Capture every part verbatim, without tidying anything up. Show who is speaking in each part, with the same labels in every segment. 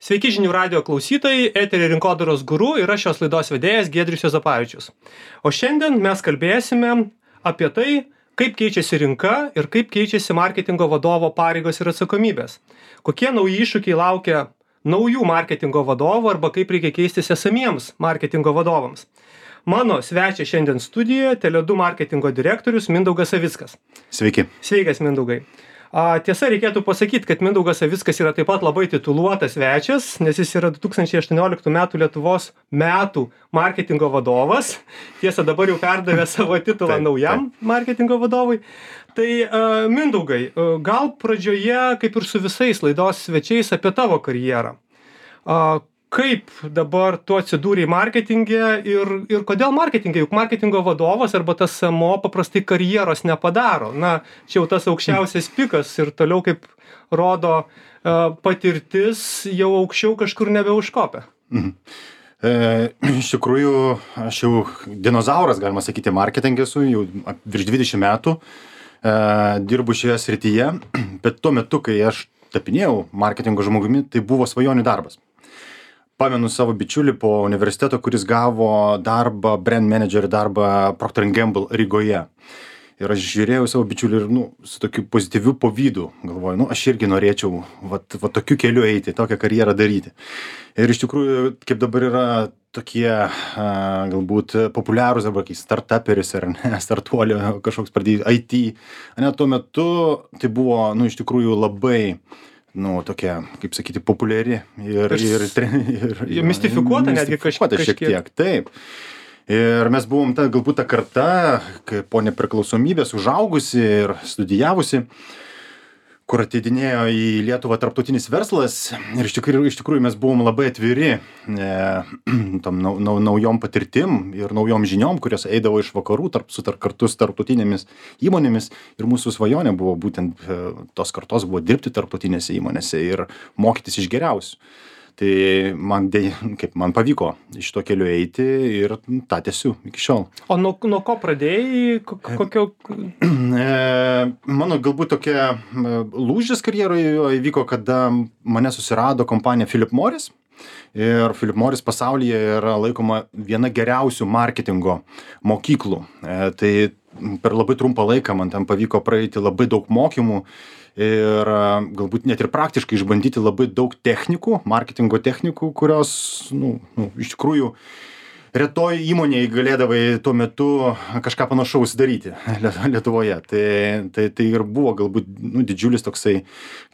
Speaker 1: Sveiki žinių radio klausytojai, eterio rinkodaros guru ir aš šios laidos vedėjas Giedrius Juozapavičius. O šiandien mes kalbėsime apie tai, kaip keičiasi rinka ir kaip keičiasi marketingo vadovo pareigos ir atsakomybės. Kokie nauji iššūkiai laukia naujų marketingo vadovų arba kaip reikia keistis esamiems marketingo vadovams. Mano svečias šiandien studijoje Tele du marketingo direktorius Mindaugas Savickas.
Speaker 2: Sveiki.
Speaker 1: Sveikas, Mindaugai. A, tiesa, reikėtų pasakyti, kad Mindaugas Savickas yra taip pat labai tituluotas svečias, nes jis yra du tūkstančiai aštuonioliktų metų Lietuvos metų marketingo vadovas. Tiesa, dabar jau perdavė savo titulą
Speaker 2: Taip,
Speaker 1: naujam marketingo vadovui. Tai a, Mindaugai, a, gal pradžioje, kaip ir su visais laidos svečiais, apie tavo karjerą. A, Kaip dabar tu atsidūrei marketinge ir, ir kodėl marketinge? Juk marketingo vadovas arba tas S M O paprastai karjeros nepadaro. Na, čia jau tas aukščiausias pikas ir toliau, kaip rodo uh, patirtis, jau aukščiau kažkur nebeužkopia.
Speaker 2: Mhm. E, iš tikrųjų, aš jau dinozauras, galima sakyti, marketinge esu, jau virš dvidešimt metų e, dirbu šioje srityje, bet tuo metu, kai aš tapinėjau marketingo žmogumi, tai buvo svajonių darbas. Pamenu savo bičiulį po universiteto, kuris gavo darbą, brand manager darbą Procter and Gamble Rygoje. Ir aš žiūrėjau savo bičiulį ir, nu, su tokiu pozityviu pavydu. Galvoju, nu, aš irgi norėčiau vat, vat tokiu keliu eiti, tokią karjerą daryti. Ir iš tikrųjų, kaip dabar yra tokie a, galbūt populiarūs arba kai startuperis ar ne, startuolio kažkoks pradėjo I T. Ne, tuo metu tai buvo, nu, iš tikrųjų labai nu, tokia, kaip sakyti, populiari ir... ir, ir, ir
Speaker 1: mistifikuota netgi kažkiek.
Speaker 2: Šiek tiek, taip. Ir mes buvom ta, galbūt ta karta, kai po nepriklausomybės užaugusi ir studijavusi, kur ateidinėjo į Lietuvą tarptautinis verslas ir iš tikrųjų, iš tikrųjų mes buvom labai atviri e, tam nau, nau, naujom patirtim ir naujom žiniom, kurios eidavo iš vakarų tarp, su tarp, kartu su tarptautinėmis įmonėmis ir mūsų svajonė buvo būtent e, tos kartos buvo dirbti tarptautinėse įmonėse ir mokytis iš geriausių. Tai man, dėj, kaip man pavyko iš to keliu eiti ir tą tęsiu iki šiol.
Speaker 1: O nuo, nuo ko pradėjai? Kokio...
Speaker 2: E, mano galbūt tokia lūžis karjeroje įvyko, kada mane susirado kompanija Philip Morris. Ir Philip Morris pasaulyje yra laikoma viena geriausių marketingo mokyklų. E, tai per labai trumpą laiką man ten pavyko praeiti labai daug mokymų ir galbūt net ir praktiškai išbandyti labai daug technikų, marketingo technikų, kurios, nu, nu, iš tikrųjų retoj įmonėje galėdavai tuo metu kažką panašaus daryti Lietuvoje. Tai, tai, tai ir buvo galbūt nu, didžiulis toksai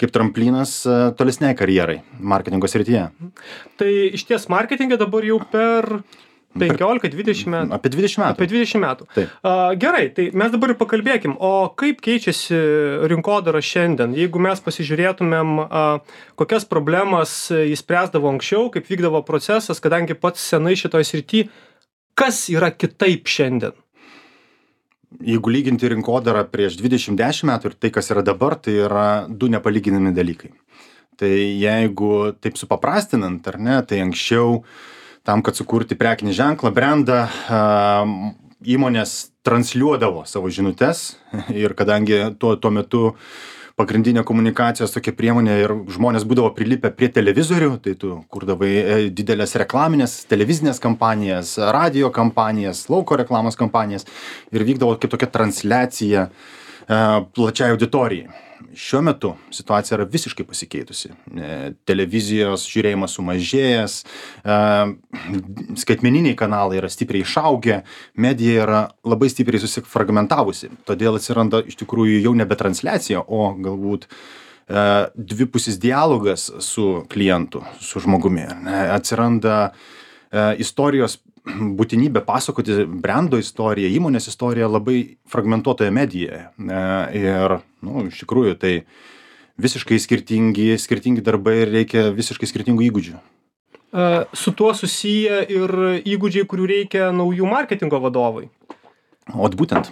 Speaker 2: kaip tramplinas tolesnei karjerai marketingo srityje.
Speaker 1: Tai iš ties marketinge dabar jau per... penkiolika dvidešimt metų.
Speaker 2: Apie dvidešimt metų.
Speaker 1: Apie dvidešimt metų.
Speaker 2: Taip.
Speaker 1: Uh, gerai, tai mes dabar ir pakalbėkim, o kaip keičiasi rinkodara šiandien? Jeigu mes pasižiūrėtumėm, uh, kokias problemas jis spręsdavo anksčiau, kaip vykdavo procesas, kadangi pats senai šitoj srity, kas yra kitaip šiandien?
Speaker 2: Jeigu lyginti rinkodarą prieš dvidešimt dešimt metų ir tai, kas yra dabar, tai yra du nepalyginami dalykai. Tai jeigu taip supaprastinant, ar ne, tai anksčiau tam, kad sukurti prekinį ženklą, brandą, įmonės transliuodavo savo žinutes ir kadangi tuo, tuo metu pagrindinė komunikacijos tokia priemonė ir žmonės būdavo prilipę prie televizorių, tai tu kurdavai didelės reklaminės, televizinės kampanijas, radio kampanijas, lauko reklamos kampanijas ir vykdavo kaip tokia transliacija plačiai auditorijai. Šiuo metu situacija yra visiškai pasikeitusi. Televizijos žiūrėjimas sumažėjęs, skaitmeniniai kanalai yra stipriai išaugę, medija yra labai stipriai susifragmentavusi. Todėl atsiranda iš tikrųjų jau nebe transliacija, o galbūt dvipusis dialogas su klientu, su žmogumi. Atsiranda istorijos būtinybė pasakoti brando istoriją, įmonės istoriją labai fragmentuotoje medijoje. Ir, nu, iš tikrųjų, tai visiškai skirtingi, skirtingi darbai ir reikia visiškai skirtingų įgūdžių.
Speaker 1: Su tuo susiję ir įgūdžiai, kurių reikia naujų marketingo vadovai.
Speaker 2: O būtent,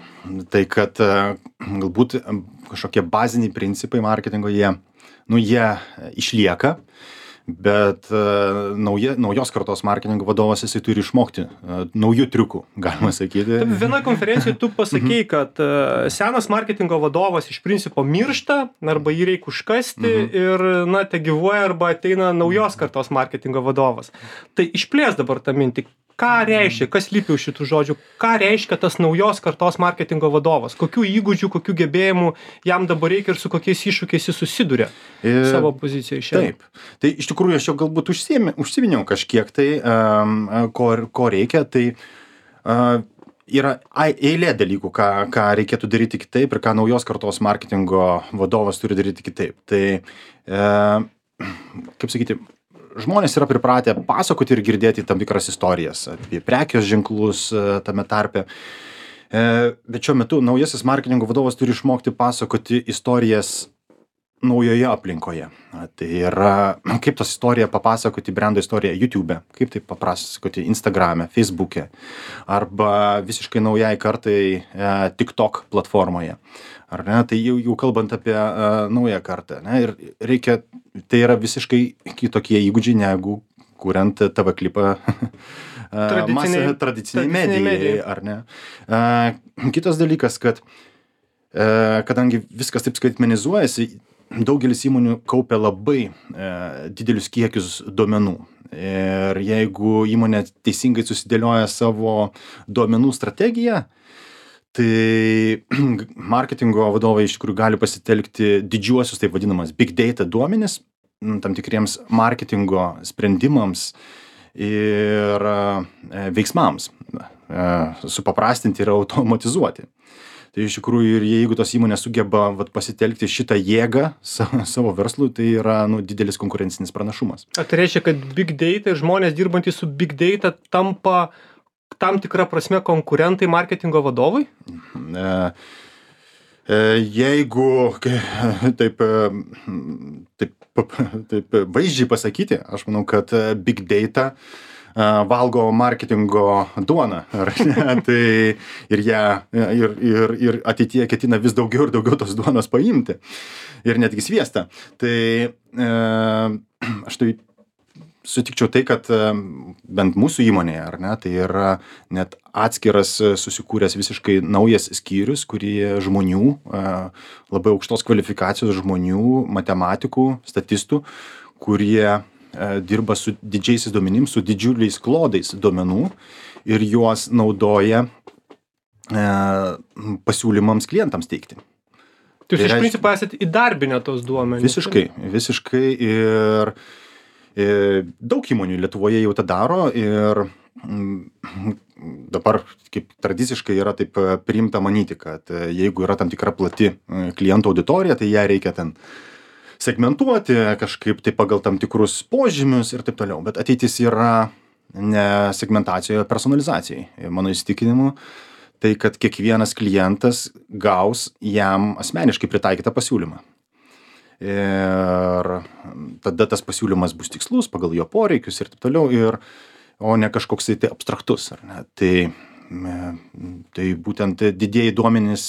Speaker 2: tai kad galbūt kažkokie baziniai principai marketingo, jie, nu, jie išlieka, bet uh, nauja, naujos kartos marketingo vadovas jisai turi išmokti uh, naujų triukų, galima sakyti.
Speaker 1: Viena konferencija tu pasakei, kad uh, senas marketingo vadovas iš principo miršta, arba jį reikia užkasti mhm. ir, na, te gyvuoja, arba ateina naujos kartos marketingo vadovas. Tai išplės dabar tą mintį. Ką reiškia, kas lypi už šitų žodžių, ką reiškia tas naujos kartos marketingo vadovas, kokių įgūdžių, kokių gebėjimų jam dabar reikia ir su kokiais iššūkiais jis susiduria e, savo pozicijoje šiandien.
Speaker 2: Taip, tai iš tikrųjų aš jau galbūt užsiminiau kažkiek tai, um, ko, ko reikia, tai uh, yra eilė dalykų, ką, ką reikėtų daryti kitaip ir ką naujos kartos marketingo vadovas turi daryti kitaip. Tai, uh, kaip sakyti, žmonės yra pripratę pasakoti ir girdėti tam tikras istorijas apie prekės ženklus tame tarpe. Bet šiuo metu naujasis marketingo vadovas turi išmokti pasakoti istorijas naujoje aplinkoje. Tai yra, kaip tas istoriją papasakoti, brendo istoriją YouTube'e, kaip tai papasakoti Instagram'e, Facebook'e, arba visiškai naujai kartai TikTok platformoje. Ar ne? Tai jau, jau kalbant apie uh, naują kartą. Ne? Ir reikia, tai yra visiškai kitokie įgūdžiai, negu kuriant T V klipą tradiciniai, tradiciniai medijai, medijai, ar ne? Uh, kitas dalykas, kad uh, kadangi viskas taip skaitmenizuojasi, daugelis įmonių kaupia labai uh, didelius kiekius duomenų. Ir jeigu įmonė teisingai susidėlioja savo duomenų strategiją, tai marketingo vadovai iš tikrųjų gali pasitelkti didžiuosius, taip vadinamas, big data duomenis, tam tikriems marketingo sprendimams ir veiksmams, supaprastinti ir automatizuoti. Tai iš tikrųjų ir jeigu tos įmonės sugeba vat, pasitelkti šitą jėgą savo, savo verslui, tai yra nu, didelis konkurencinis pranašumas.
Speaker 1: Ar tai reiškia, kad big data ir žmonės dirbantys su big data tampa tam tikra prasme konkurentai marketingo vadovui?
Speaker 2: E, e, jeigu taip, taip, taip vaizdžiai pasakyti, aš manau, kad big data valgo marketingo duoną. Ar ne? Tai ir, ją, ir, ir, ir ateityje ketina vis daugiau ir daugiau tos duonos paimti. Ir netgi sviestą. Tai e, aš tai sutikčiau tai, kad bent mūsų įmonėje, ar ne, tai yra net atskiras susikūręs visiškai naujas skyrius, kurie žmonių, labai aukštos kvalifikacijos žmonių, matematikų, statistų, kurie dirba su didžiaisiais duomenims, su didžiuliais klodais duomenų ir juos naudoja pasiūlymams klientams teikti.
Speaker 1: Tai jūs iš principo esate įdarbinę tos duomenys?
Speaker 2: Visiškai, visiškai ir daug įmonių Lietuvoje jau tą daro ir dabar kaip tradiciškai yra taip priimta manyti, kad jeigu yra tam tikra plati klientų auditorija, tai ją reikia ten segmentuoti kažkaip tai pagal tam tikrus požymius ir taip toliau. Bet ateitis yra ne segmentacijoje, o personalizacijai. Mano įsitikinimu, tai kad kiekvienas klientas gaus jam asmeniškai pritaikytą pasiūlymą. Ir tada tas pasiūlymas bus tikslus pagal jo poreikius ir taip toliau, ir, o ne kažkoks tai abstraktus. Ar ne? Tai, tai būtent didieji duomenys,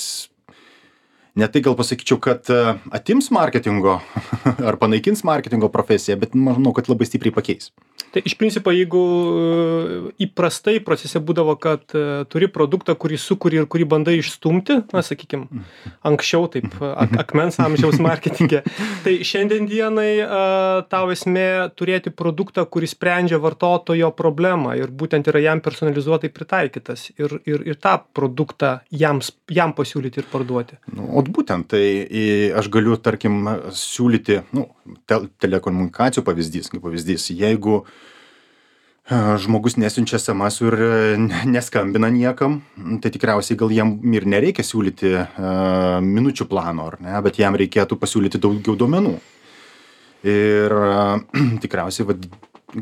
Speaker 2: ne tai gal pasakyčiau, kad atims marketingo ar panaikins marketingo profesiją, bet manau, kad labai stipriai pakeis.
Speaker 1: Tai iš principo, jeigu įprastai procese būdavo, kad turi produktą, kurį sukuri ir kurį bandai išstumti, na, sakykim, anksčiau taip, ak akmens amžiaus marketinge, tai šiandien dienai tau esmė turėti produktą, kuris sprendžia vartotojo problemą ir būtent yra jam personalizuotai pritaikytas ir, ir, ir tą produktą jam, jam pasiūlyti ir parduoti.
Speaker 2: Nu, o būtent, tai aš galiu, tarkim, siūlyti, nu, te telekomunikacijų pavyzdys, kaip pavyzdys, jeigu žmogus nesiunčia es em esų ir neskambina niekam, tai tikriausiai gal jam ir nereikia siūlyti uh, minučių plano, ar ne, bet jam reikėtų pasiūlyti daugiau duomenų. Ir uh, tikriausiai va,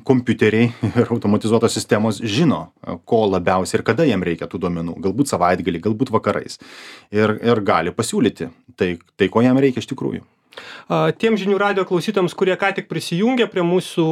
Speaker 2: kompiuteriai ir automatizuotos sistemos žino, ko labiausiai ir kada jam reikia tų duomenų. Galbūt savaitgalį, galbūt vakarais. Ir, ir gali pasiūlyti tai, tai, ko jam reikia iš tikrųjų.
Speaker 1: Tiem žinių radijo klausytojams, kurie ką tik prisijungė prie mūsų,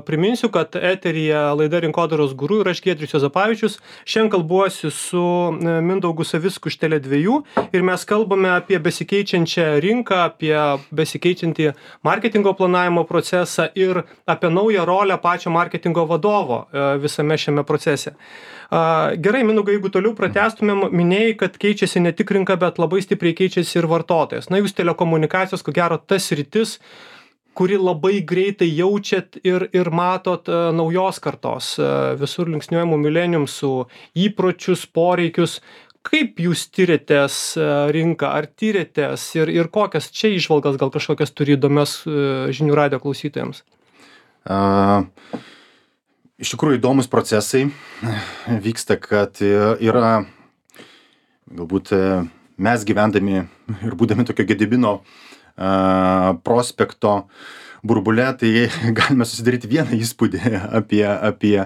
Speaker 1: priminsiu, kad eteryje laida Rinkodaros guru ir aš Giedrius Juozapavičius. Šiandien kalbuosi su Mindaugu Savicku iš Tele dviejų ir mes kalbame apie besikeičiančią rinką, apie besikeičiantį marketingo planavimo procesą ir apie naują rolę pačio marketingo vadovo visame šiame procese. Gerai, Mindaugai, jeigu toliau pratęstumėm, minėjai, kad keičiasi ne tik rinka, bet labai stipriai keičiasi ir vartotojas. Na, jūs telekomunikacijos, ko gero, tas sritis, kuri labai greitai jaučiat ir, ir matot uh, naujos kartos, uh, visur linksniuojamų mileniumsų įpročius, poreikius. Kaip jūs tyrėtės uh, rinką, ar tyrėtės ir, ir kokias čia įžvalgas gal kažkokias turi įdomias uh, žinių radijo klausytojams?
Speaker 2: Uh... Iš tikrųjų įdomus procesai vyksta, kad yra galbūt mes gyvendami ir būdami tokio Gedimino prospekto burbule, tai galime susidaryti vieną įspūdį apie, apie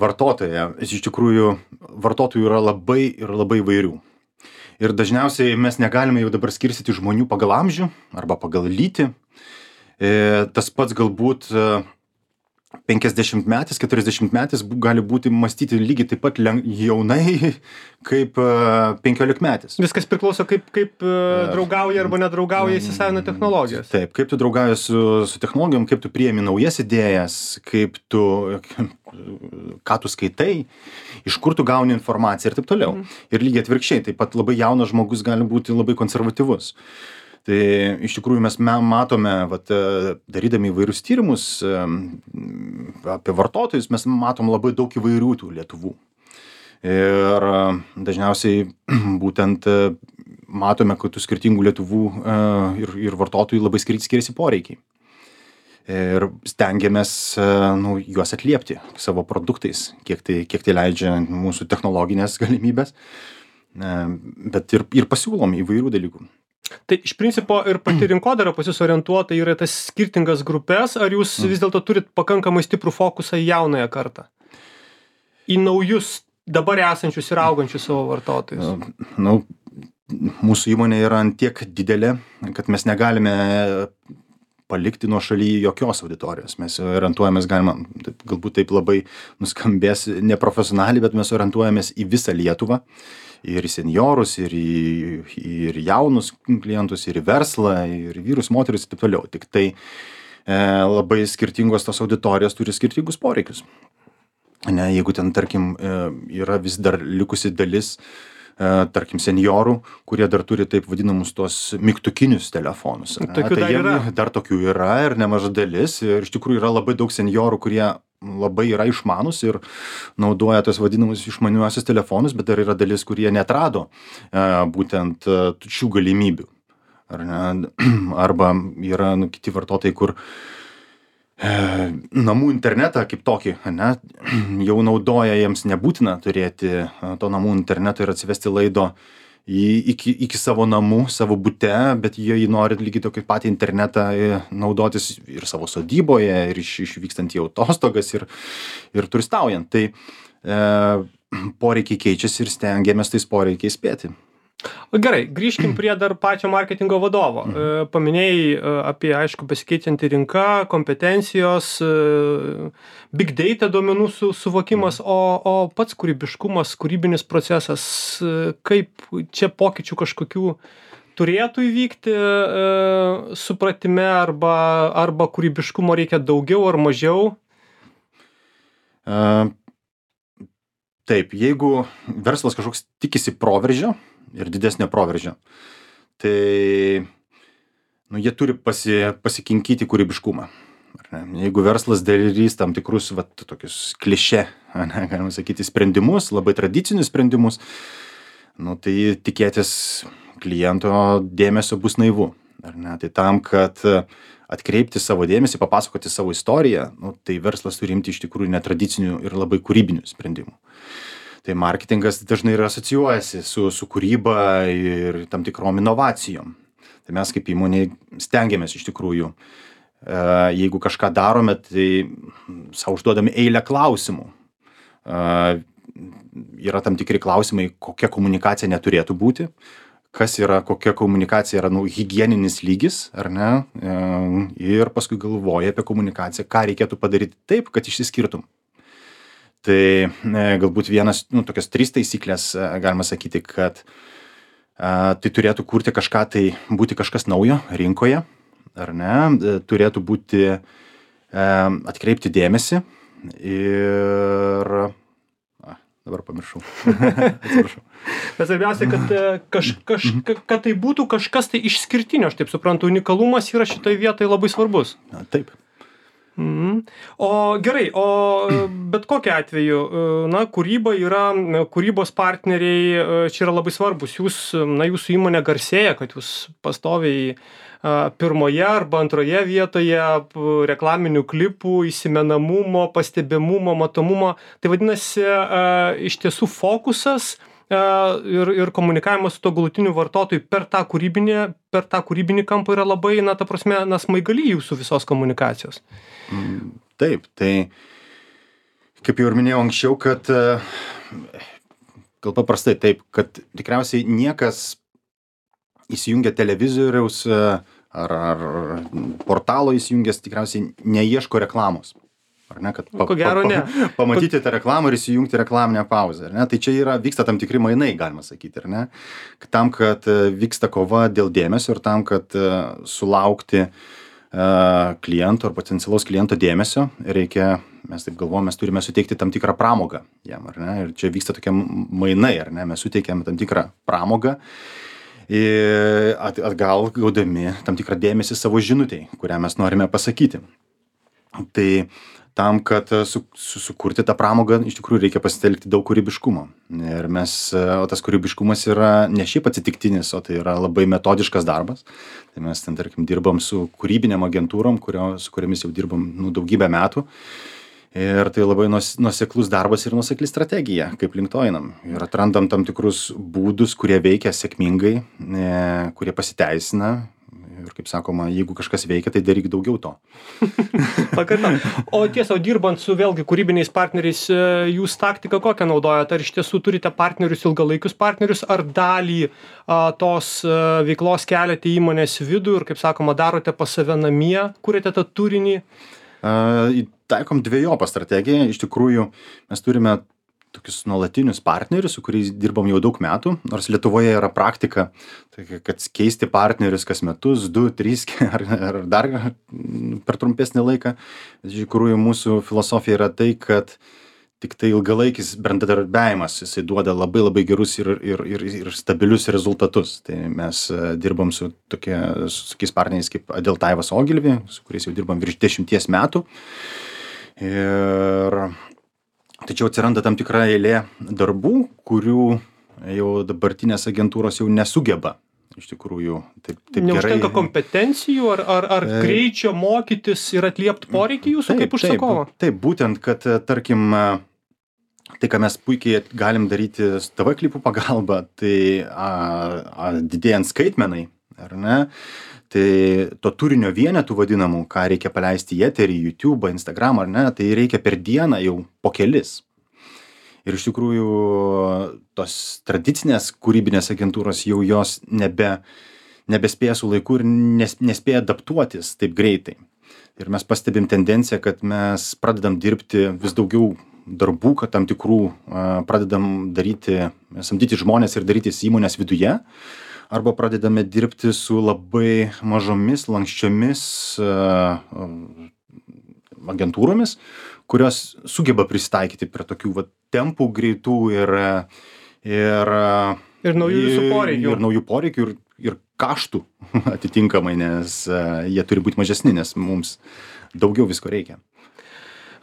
Speaker 2: vartotoją. Iš tikrųjų vartotojų yra labai ir labai įvairių. Ir dažniausiai mes negalime jau dabar skirstyti žmonių pagal amžių arba pagal lytį. Tas pats galbūt penkiasdešimtmetis, keturiasdešimtmetis gali būti mąstyti lygiai taip pat jaunai kaip penkiolikmetis.
Speaker 1: Viskas priklauso, kaip, kaip draugauja arba nedraugauja įsisavina technologijas.
Speaker 2: Taip, kaip tu draugauji su, su technologijom, kaip tu priemi naujas idėjas, kaip tu, ką tu skaitai, iš kur tu gauni informaciją ir taip toliau. Mm. Ir lygiai atvirkščiai, taip pat labai jaunas žmogus gali būti labai konservatyvus. Tai iš tikrųjų mes matome, vat, darydami įvairius tyrimus apie vartotojus, mes matom labai daug įvairių tų Lietuvų. Ir dažniausiai būtent matome, kad tų skirtingų Lietuvų ir, ir vartotojų labai skiriasi poreikiai. Ir stengiamės nu, juos atliepti savo produktais, kiek tai, kiek tai leidžia mūsų technologinės galimybės, bet ir, ir pasiūlom įvairių dalykų.
Speaker 1: Tai iš principo ir pati rinkodara pas jūs orientuota yra tas skirtingas grupės, ar jūs vis dėlto turit pakankamai stiprų fokusą į jaunąją kartą? Į naujus, dabar esančius ir augančius savo vartotojus?
Speaker 2: Nu, mūsų įmonė yra ant tiek didelė, kad mes negalime palikti nuo šaly jokios auditorijos. Mes orientuojamės, galima, galbūt taip labai nuskambės neprofesionaliai, bet mes orientuojamės į visą Lietuvą. Ir į seniorus, ir į, ir jaunus klientus, ir į verslą, ir vyrus, moteris ir taip toliau. Tik tai e, labai skirtingos tos auditorijos turi skirtingus poreikius. Ne, jeigu ten, tarkim, e, yra vis dar likusi dalis, e, tarkim, seniorų, kurie dar turi taip vadinamus tos mygtukinius telefonus. Ne,
Speaker 1: tokių
Speaker 2: tai
Speaker 1: dar
Speaker 2: jiem,
Speaker 1: yra.
Speaker 2: Dar tokių yra ir nemaža dalis. Ir iš tikrųjų yra labai daug seniorų, kurie labai yra išmanus ir naudoja tos vadinamus išmaniuosius telefonus, bet dar yra dalis, kurie neatrado e, būtent e, šių galimybių. Ar ne? Arba yra nu, kiti vartotojai, kur e, namų internetą kaip tokį, ne, jau naudoja, jiems nebūtina turėti to namų internetą ir atsivesti laido į, iki, iki savo namų, savo bute, bet jie jį nori lygiai tokį patį internetą naudotis ir savo sodyboje, ir iš, išvykstant į atostogas, ir, ir turistaujant. Tai e, poreikiai keičiasi ir stengiamės tais poreikiais spėti.
Speaker 1: Gerai, grįžkim prie dar pačio marketingo vadovo. Mhm. Paminėjai apie, aišku, besikeičiantį rinką, kompetencijos, big data duomenų su, suvokimas, mhm. o, o pats kūrybiškumas, kūrybinis procesas, kaip čia pokyčių kažkokių turėtų įvykti e, supratime, arba, arba kūrybiškumo reikia daugiau ar mažiau?
Speaker 2: Uh, taip, jeigu verslas kažkoks tikisi proveržio, ir didesnio proveržio. Tai nu, jie turi pasi, pasikinkyti kūrybiškumą. Ar ne? Jeigu verslas darys tam tikrus vat, tokius klišė, ne, galima sakyti, sprendimus, labai tradicinius sprendimus, nu, tai tikėtis kliento dėmesio bus naivu. Ar ne? Tai tam, kad atkreipti savo dėmesį, papasakoti savo istoriją, nu, tai verslas turi imti iš tikrųjų netradicinių ir labai kūrybinių sprendimų. Tai marketingas dažnai ir asocijuojasi su, su kūryba ir tam tikrom inovacijom. Tai mes kaip įmonė stengiamės iš tikrųjų, e, jeigu kažką darome, tai savo užduodami eilę klausimų. E, yra tam tikri klausimai, kokia komunikacija neturėtų būti, kas yra, kokia komunikacija yra, nu, higieninis lygis, ar ne, ir paskui galvoji apie komunikaciją, ką reikėtų padaryti taip, kad išsiskirtum. Tai galbūt vienas, nu, tokios trys taisyklės, galima sakyti, kad a, tai turėtų kurti kažką, tai būti kažkas naujo rinkoje, ar ne, turėtų būti a, atkreipti dėmesį ir... Dabar pamiršau. Atsiprašau.
Speaker 1: Bet svarbiausia, kad, kaž, kaž, kad tai būtų kažkas tai išskirtinio, aš taip suprantu, unikalumas yra šitoje vietoje labai svarbus.
Speaker 2: Na, taip.
Speaker 1: Mhm. O gerai, o bet kokiu atveju, na, kūryba yra, kūrybos partneriai čia yra labai svarbus. Jūs, na, jūsų įmonė garsėja, kad jūs pastoviai pirmoje arba antroje vietoje reklaminių klipų, įsimenamumo, pastebimumo, matomumo. Tai vadinasi, iš tiesų fokusas ir, ir komunikavimas su to galutiniu vartotoju per tą kūrybinį, per tą kūrybinį kampą yra labai, na, ta prasme, na, smaigali jūsų visos komunikacijos.
Speaker 2: Taip, tai kaip jau ir minėjau anksčiau, kad gal paprastai taip, kad tikriausiai niekas įsijungia televizoriaus ar, ar portalo įsijungęs tikriausiai neieško reklamos. Ar ne, kad pa,
Speaker 1: Ko gero, ne.
Speaker 2: pa, pa, pamatyti tą reklamą ir įsijungti reklaminę pauzę. Ar ne? Tai čia yra, vyksta tam tikri mainai, galima sakyti. Ar ne? Tam, kad vyksta kova dėl dėmesio ir tam, kad sulaukti uh, kliento ar potencialaus kliento dėmesio, reikia, mes taip galvojame, mes turime suteikti tam tikrą pramogą jam. Ar ne? Ir čia vyksta tokie mainai. Ar ne? Mes suteikiame tam tikrą pramogą. Atgal gaudami tam tikrą dėmesį savo žinutei, kurią mes norime pasakyti. Tai tam, kad su, su, sukurti tą pramogą, iš tikrųjų reikia pasitelkti daug kūrybiškumo. Ir mes, o tas kūrybiškumas yra ne šiaip atsitiktinis, o tai yra labai metodiškas darbas. Tai mes ten, tarkim, dirbam su kūrybinėm agentūrom, kurio, su kuriamis jau dirbam nu, daugybę metų. Ir tai labai nuoseklus darbas ir nuosekli strategija, kaip link to einam. Ir atrandam tam tikrus būdus, kurie veikia sėkmingai, kurie pasiteisina. Ir kaip sakoma, jeigu kažkas veikia, tai daryk daugiau to.
Speaker 1: Pakartam. O tiesa, dirbant su vėlgi kūrybiniais partneriais, jūs taktiką kokią naudojate? Ar iš tiesų turite partnerius, ilgalaikius partnerius, ar dalį a, tos a, veiklos keliate į įmonės vidų ir, kaip sakoma, darote pas save namie, kuriate tą turinį?
Speaker 2: Uh, taikom dviejopą strategiją. Iš tikrųjų, mes turime tokius nuolatinius partnerius, su kuriais dirbam jau daug metų, nors Lietuvoje yra praktika, tai, kad keisti partnerius kas metus, du, trys ar, ar dar per trumpesnį laiką. Iš tikrųjų, mūsų filosofija yra tai, kad tik tai ilgalaikis bendradarbiavimas, jisai duoda labai labai gerus ir, ir, ir, ir stabilius rezultatus. Tai mes dirbam su tokie, su tokiais partneriais kaip Adeltaivas Ogilvy, su kuriais jau dirbam virš dešimties metų. Ir tačiau atsiranda tam tikra eilė darbų, kurių jau dabartinės agentūros jau nesugeba. Iš tikrųjų, taip, taip gerai.
Speaker 1: Neužtenka kompetencijų ar, ar, ar e... greičio mokytis ir atliepti poreikį jūsų taip, kaip užsakovo?
Speaker 2: Taip, taip, būtent, kad tarkim, tai, ką mes puikiai galim daryti T V klipų pagalba, tai a, a, didėjant skaitmenai, ar ne? Tai to turinio vienetų vadinamų, ką reikia paleisti į eterį, YouTube, Instagram, ar ne, tai reikia per dieną jau po kelis. Ir iš tikrųjų tos tradicinės kūrybinės agentūros jau jos nebe, nebespėja su laiku ir nes, nespėja adaptuotis taip greitai. Ir mes pastebim tendenciją, kad mes pradedam dirbti vis daugiau darbų, kad tam tikrų pradedam daryti, samdyti žmonės ir darytis įmonės viduje, arba pradedame dirbti su labai mažomis, lankščiomis agentūromis, kurios sugeba prisitaikyti prie tokių va, tempų greitų ir, ir,
Speaker 1: ir naujų
Speaker 2: ir,
Speaker 1: poreikių.
Speaker 2: Ir naujų poreikių ir, ir kaštų atitinkamai, nes uh, jie turi būti mažesni, nes mums daugiau visko reikia.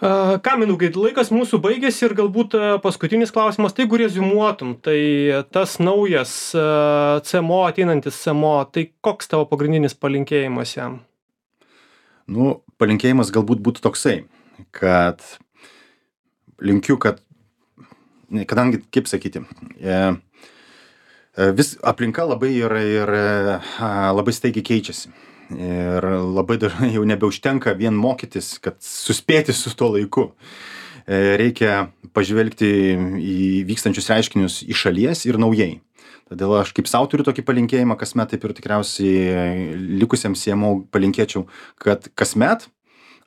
Speaker 1: Uh, ką, Mindaugai, laikas mūsų baigėsi ir galbūt uh, paskutinis klausimas, tai jeigu reziumuotum, tai tas naujas uh, C M O, ateinantis C M O, tai koks tavo pagrindinis palinkėjimas jam?
Speaker 2: Nu, palinkėjimas galbūt būtų toksai, kad linkiu, kad, kadangi, kaip sakyti, vis aplinka labai ir, ir labai staigiai keičiasi. Ir labai dažnai jau nebeužtenka vien mokytis, kad suspėti su tuo laiku. Reikia pažvelgti į vykstančius reiškinius iš šalies ir naujai. Todėl aš kaip sau turiu tokį palinkėjimą kasmet, taip ir tikriausiai likusiems C M O palinkėčiau, kad kasmet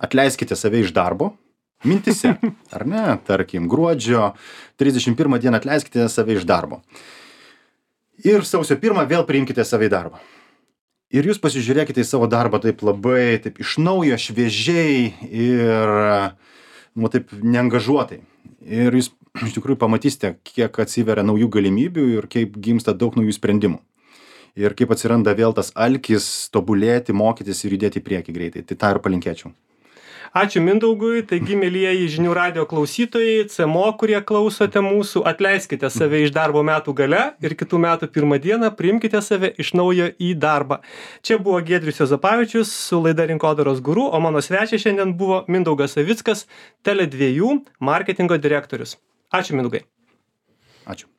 Speaker 2: atleiskite save iš darbo, mintise, ar ne, tarkim, gruodžio trisdešimt pirmą dieną atleiskite save iš darbo. Ir sausio pirmą vėl priimkite save į darbą. Ir jūs pasižiūrėkite į savo darbą taip labai, taip iš naujo, šviežiai ir, nu, taip neangažuotai. Ir jūs iš tikrųjų pamatysite, kiek atsiveria naujų galimybių ir kaip gimsta daug naujų sprendimų. Ir kaip atsiranda vėl tas alkis tobulėti, mokytis ir judėti į priekį greitai. Tai tą ir palinkėčiau.
Speaker 1: Ačiū Mindaugui, taigi mielieji žinių radijo klausytojai, C M O, kurie klausote mūsų, atleiskite save iš darbo metų gale ir kitų metų pirmą dieną priimkite save iš naujo į darbą. Čia buvo Giedrius Juozapavičius su laida Rinkodaros guru, o mano svečias šiandien buvo Mindaugas Savickas, Tele dviejų marketingo direktorius. Ačiū Mindaugai.
Speaker 2: Ačiū.